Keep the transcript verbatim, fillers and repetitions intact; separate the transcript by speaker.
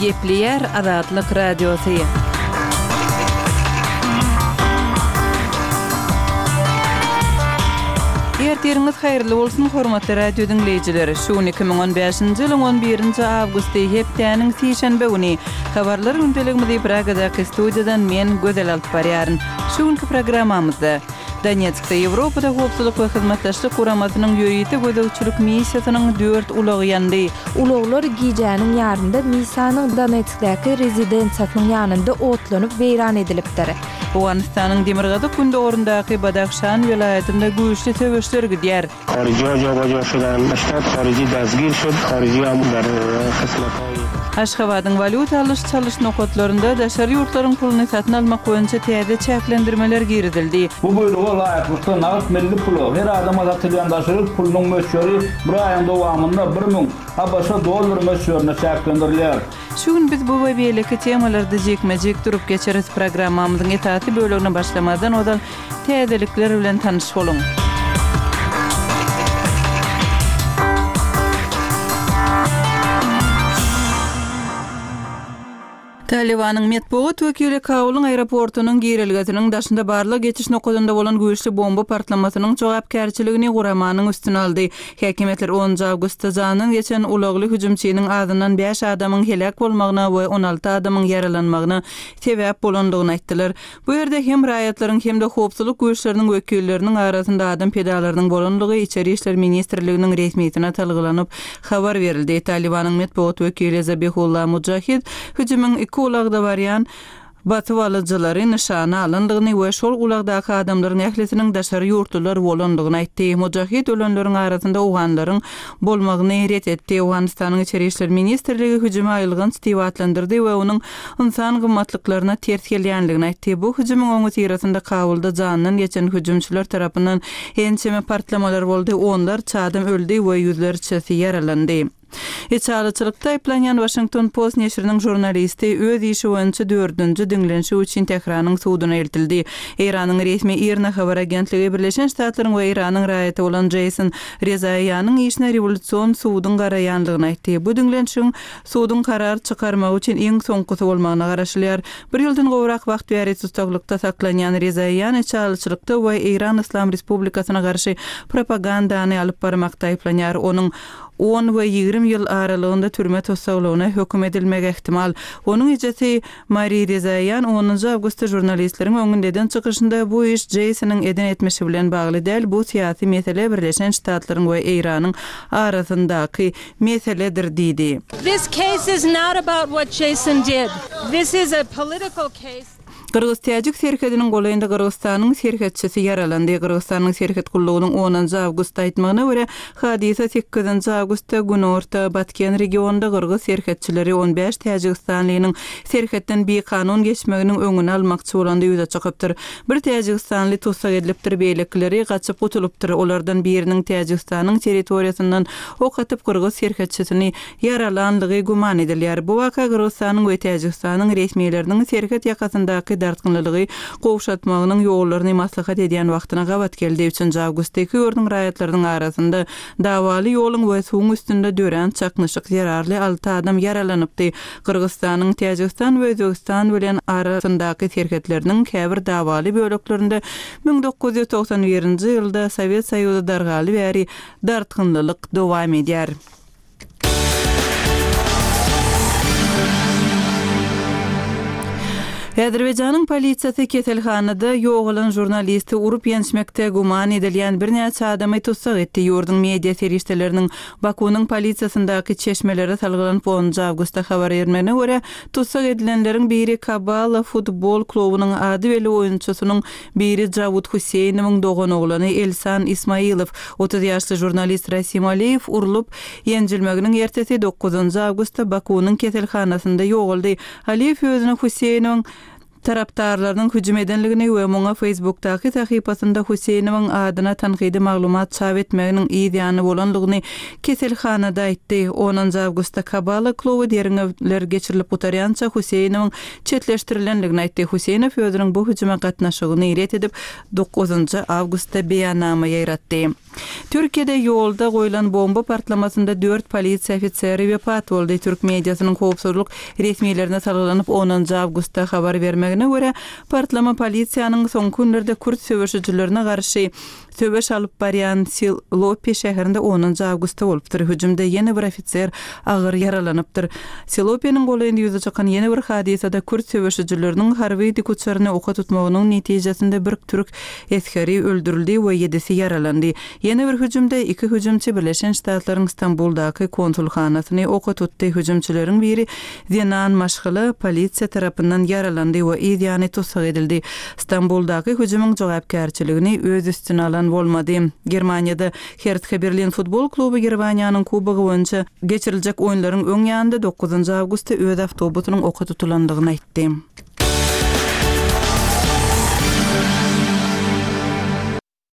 Speaker 1: Gepleýär Azatlyk Radiosy. Ertiriňiz haýyrly bolsun, hormatly radio diňleýjiler. Şu gün iki müň on bäşinji ýylyň on birinji awgusty, hepdäniň sişenbe güni. Habarlar gündeligimizi Pragadaky studiýadan men Gözel alyp barýaryn. Şu günki programmamyzda Donetskde Ýewropada Howpsuzlyk we Hyzmatdaşlyk Guramasynyň ýörite gözegçilik missiýasynyň dört ulagy ýandy.
Speaker 2: Ulaglar gijäniň ýarynda missiýanyň Donetskdäki rezidensiýasynyň ýanynda otlanyp weýran edilipdir.
Speaker 1: Owganystanyň demirgazyk-gündogaryndaky Badahşan welaýatynda güýçli söweşler gidýär. Aşgabadyň walýuta alyş-çalyş nokatlarynda daşary ýurtlaryň puluny satyn almak boýunça täze çäklendirmeler girizildi.
Speaker 3: Bu buýruga laýyklykda nagt milli pula her adama satylýan daşary ýurt pulunyň möçberi bir aýyň dowamynda bir müň A B Ş dollar möçberine çäklendirilýär.
Speaker 1: Şu gün biz bu we beýleki temalarda jikme-jik durup geçeris. Programmamyzyň esasy bölegine başlamazdan ozal täzelikler bilen tanyş boluň. Talibanyň metbugat wekili Kabulyň aeroportunyň girelgesiniň daşynda barlag geçiş nokadynda bolan güýçli bomba partlamasynyň jogapkärçiligini guramanyň üstüne aldy. Häkimiýetler onunjy awgustda jandan geçen ulagly hüjümçiniň azyndan bäş adamyň heläk bolmagyna we on alty adamyň ýaralanmagyna sebäp bolandygyny aýtdylar. Bu ýerde hem raýatlaryň hem-de howpsuzlyk güýçleriniň wekilleriniň arasynda adam pidalarynyň bolanlygy Içeri işler ministrliginiň resmisine talgylanyp habar berildi. Talibanyň metbugat wekili Zabihullah Mujahid hüjümiň iki ulagda barýan basyp alyjylary nyşana alandygyny we şol ulagdaky adamlaryň ählisiniň daşary ýurtlular bolandygyny aýtdy. Mujahid ölenleriň arasynda owganlaryň bolmagyny ret etdi. Owganystanyň Içeri işler ministrligi hüjümi aýylganç diýip atlandyrdy we onuň insan gymmatlyklaryna ters gelýändigini aýtdy. Bu hüjümiň öňüsyrasynda Kabulda jandan geçen hüjümçiler tarapyndan ençeme partlamalar boldy, onlarça adam öldi we ýüzlerçesi ýaralandy. Içalyçylykda aýyplanýan Washington Post neşiriniň žurnalisti öz işi boýunça dördünji diňlenişi üçin Tähranyň suduna eltildi. Eýranyň resmi IRNA habar agentligi Birleşen Ştatlaryň we Eýranyň raýaty bolan Jason Rezaianyň işine rewolýusion suduň garaýanlygyny aýtdy. Bu diňlenişigiň suduň karar çykarmagy üçin iň soňkusy bolmagyna garaşylýar. Bir ýyldan gowrak wagt bäri tussagylykda saklanýan Rezaian içalyçylykda we Eýran Islam Respublikasyna garşy propagandany alyp barmakda aýyplanýar. Onuň on we ýigrimi ýyl aralygynda türme tussaglygyna höküm edilmegi ähtimal. Onuň ejesi Mari Rezaian onunjy awgustda žurnalistleriň öňünde eden çykyşynda bu iş Jasonyň eden etmişi bilen bagly däl, bu syýasy mesele Birleşen Ştatlaryň we Eýranyň arasyndaky meseledir diýdi.
Speaker 4: This case is not about what Jason did. This is a political case.
Speaker 1: Gyrgyz-Täjik serhediniň golaýynda Gyrgyzystanyň serhetçisi ýaralandy. Gyrgyzystanyň serhet gullugynyň onunjy awgustda aýtmagyna görä, hadysa sekizinji awgustda Günorta Batken regionunda Gyrgyz serhetçileri on bäş Täjigistanlynyň serhetden bikanun geçmeginiň öňüni almakçy bolanda ýüze çykypdyr. Bir Täjigistanly tussag edilipdir, beýlekileri gaçyp gutulypdyr. Olardan biriniň Täjigistanyň territoriýasyndan ok atyp Gyrgyz serhetçisini ýaralanlygy güman edilýär. Bu waka Gyrgyzystanyň we Täjigistanyň resmileriniň serhet ýakasyndaky dartgynlylygy gowşatmagynyň ýollaryny maslahat edýän wagtyna gabat geldi. Üçünji awgustda iki ýurduň raýatlarynyň arasynda dawaly ýoluň we suwuň üstünde dörän çaknyşyk zerarly alty adam ýaralanypdy. Gyrgyzystanyň Täjigistan we Özbegistan bilen arasyndaky serhetleriniň käbir dawaly böleklerinde müň dokuz ýüz togsan birinji ýylda Sowet Soýuzy dargaly bäri dartgynlylyk dowam edýär. Azerbaýjanyň polisiýasy keselhanada ýogalan žurnalisti urup ýençmekde güman edilýän birnäçe adamy tussag etdi. Ýurduň media serişdeleriniň Bakunyň polisiýasyndaky çeşmelere salgylanyp onunjy awgustda habar bermegine görä, tussag edilenleriň biri Kabala futbol klubunyň ady belli oýunçysynyň biri Jawud Huseýnowyň doganoglany Elsan Ismailow, otuz ýaşly žurnalist Rasim Aliýew urlup ýenjilmeginiň ertesi dokuzynjy awgustda Bakunyň keselhanasynda ýogaldy. Aliýew özüne Huseýnowyň tarapdarlarynyň hüjüm edenligini we muňa Facebookdaky sahypasynda Huseýnowyň adyna tankydy maglumat çap etmeginiň yz ýany bolanlygyny keselhanada aýtdy. Onunjy awgustda Kabala kluby derňewler geçirilip gutarýança Huseýnowyň çetleşdirilenligini aýtdy. Huseýnow özüniň bu hüjüme gatnaşygyny ret edip dokuzynjy awgustda beýannama ýaýratdy. Türkiýede ýolda goýlan bomba partlamasynda dört polisiýa ofiseri wepat boldy. Türk mediasynyň howpsuzlyk resmilerine salgylanyp onunjy awgustda habar bermegine görä, partlama polisiýanyň soňky günlerde kürt söweşijilerine garşy söweş alyp barýan Silopi şäherinde onunjy awgustda bolupdyr. Hüjümde ýene bir ofiser agyr ýaralanypdyr. Silopiniň golaýynda ýüze çykan ýene bir hadysada kürt söweşijileriniň harby dikuçaryny oka tutmagynyň netijesinde bir türk esgeri öldürildi we ýedisi ýaralandy. Ýene bir hüjümde iki hüjümçi Birleşen Ştatlaryň Stambuldaky konsulhanasyny oka tutdy. Hüjümçileriň biri zenan maşgala polisiýa tarapyndan ýaralandy we yz ýany tussag edildi. Stambuldaky hüjümiň jogapkärçiligini öz üstüne alan bolmady. Germaniýada Hertha Berlin futbol kluby Germaniýanyň kubogy boýunça geçiriljek oýunlaryň öň ýanynda dokuzynjy awgustda öz awtobusynyň oka tutulandygyny aýtdy.